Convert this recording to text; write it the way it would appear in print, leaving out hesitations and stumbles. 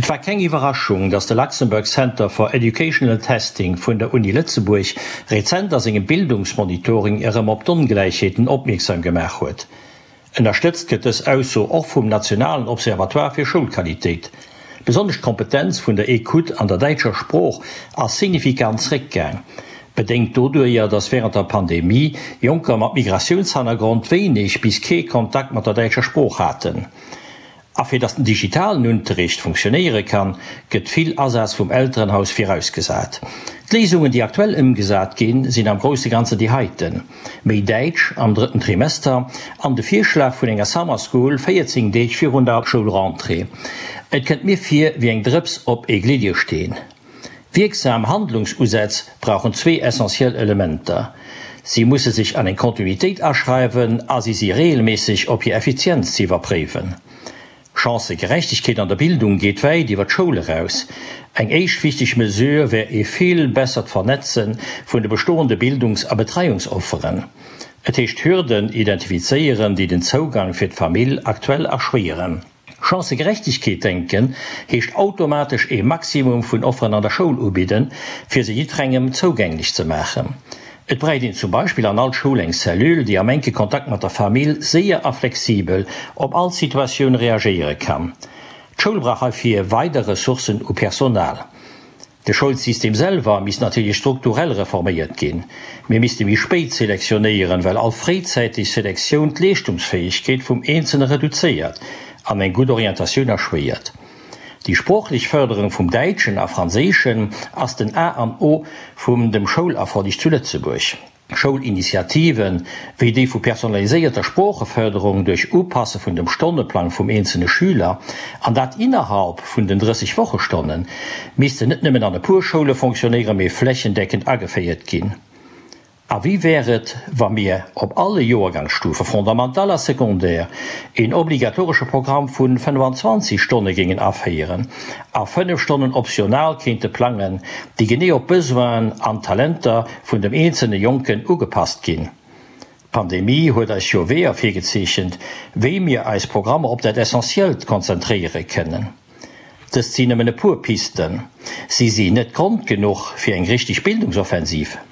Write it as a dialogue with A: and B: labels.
A: Et war keng Iwwerraschung, datt de Luxembourg Center for Educational Testing vun der Uni Lëtzebuerg rezent a sengem Bildungsmonitoring erëm op d'Ongläichheeten opmierksam gemaach huet. Ënnerstëtzt gëtt dës Ausso och vum nationalen Observatoire fir Schoulqualitéit. Besonnesch d'Kompetenz vun der Ecoute an der däitscher Sprooch ass signifikant zréckgaang, bedéngt doduerjer, datt wärend der Pandemie Jonker mat Migratiounshannergrond wéineg bis kee Kontakt mat der däitscher Sprooch haten. A fir datt den digitalen Unterricht funktionéiere kann, gëtt vill Asaz vum Elterenhaus virausgesat. D'Léisungen, déi aktuell ëmgesat ginn, sinn am grousse Ganzen déi heiten, méi Däitsch am drëtten Trimester an de Virschlag vun enger Summer School 14 Deeg virun der Schoulrentrée. Et kënnt mir vir wéi eng Drëps op ee Gliddersteen. Wierksam Handlungsusätz brauchen zwee essentiell Elementer, Si musse sech an eng Kontinuitéit aschreiwen a si si reegelméisseg op hir Effizienz ze iwwerpréiwen. Chancëgerechtegkeet an der Bildung geet wäit iwwer d'Schoul eraus. Eng éischt wichteg Mesure wär ee vill bessert Vernetze vun de bestoende Bildungs a Betreiungsofferen. Et heescht Hürden identifizéieren, déi den Zougang fir d'Famill aktuell erschwéieren. Chancëgerechtegkeet denken heescht automatesch ee Maximum vun Offeren an der Schoul ubidden, fir se jiddwerengem zougänglech ze maachen. Et bräicht een zum Beispill an all Schoul eng Cellule, déi am enke Kontakt mat der Famill séier a flexibel op all Situatioun reagéiere kann. D'Schoul brauch heifir weider Ressourcen u Personal. De Schoulsystem selwer misst natierlech strukturell reforméiert ginn. Mir misste méi spéit selektionéieren, well all fréizäiteg Selektioun d'Leeschtungsfäegkeet vum Eenzelne reduzéiert an eng gutt Orientatioun erschwéiert. Déi sproochlech Fërderung vum Däitschen a Franséischen ass den A an O vum dem Schoulerfolleg zu Lëtzebuerg. Schoulinitiativen, wéi déi vu personaliséierter Sproochefërderung duerch Upasse vun dem Stonneplang vum eenzelne Schüler, an dat innerhalb vun den 30 Wochestonnen, missten net nëmmen an e puer Schoule fonctionnéieren, mee flächendeckend ageféiert ginn. A wéi wär et, wa mir op alle Joergangsstufe, Fondamental a Secondaire, een obligatoresche Programm vu 25 Stonne géingen aféieren a 5 Stonnen optional kéinte plangen, déi genee op d'Besoinen an d'Talenter vun dem eenzelne Jonken ugepasst ginn. D'Pandemie huet eis jo Weeër virgezeechent, wéi mir eis Programmer op dat Essentiellt konzentréiere kënnen. Dëst sinn nëmmen e puer Pisten. Si si net Grond genuch fir eng richteg Bildungsoffensiv.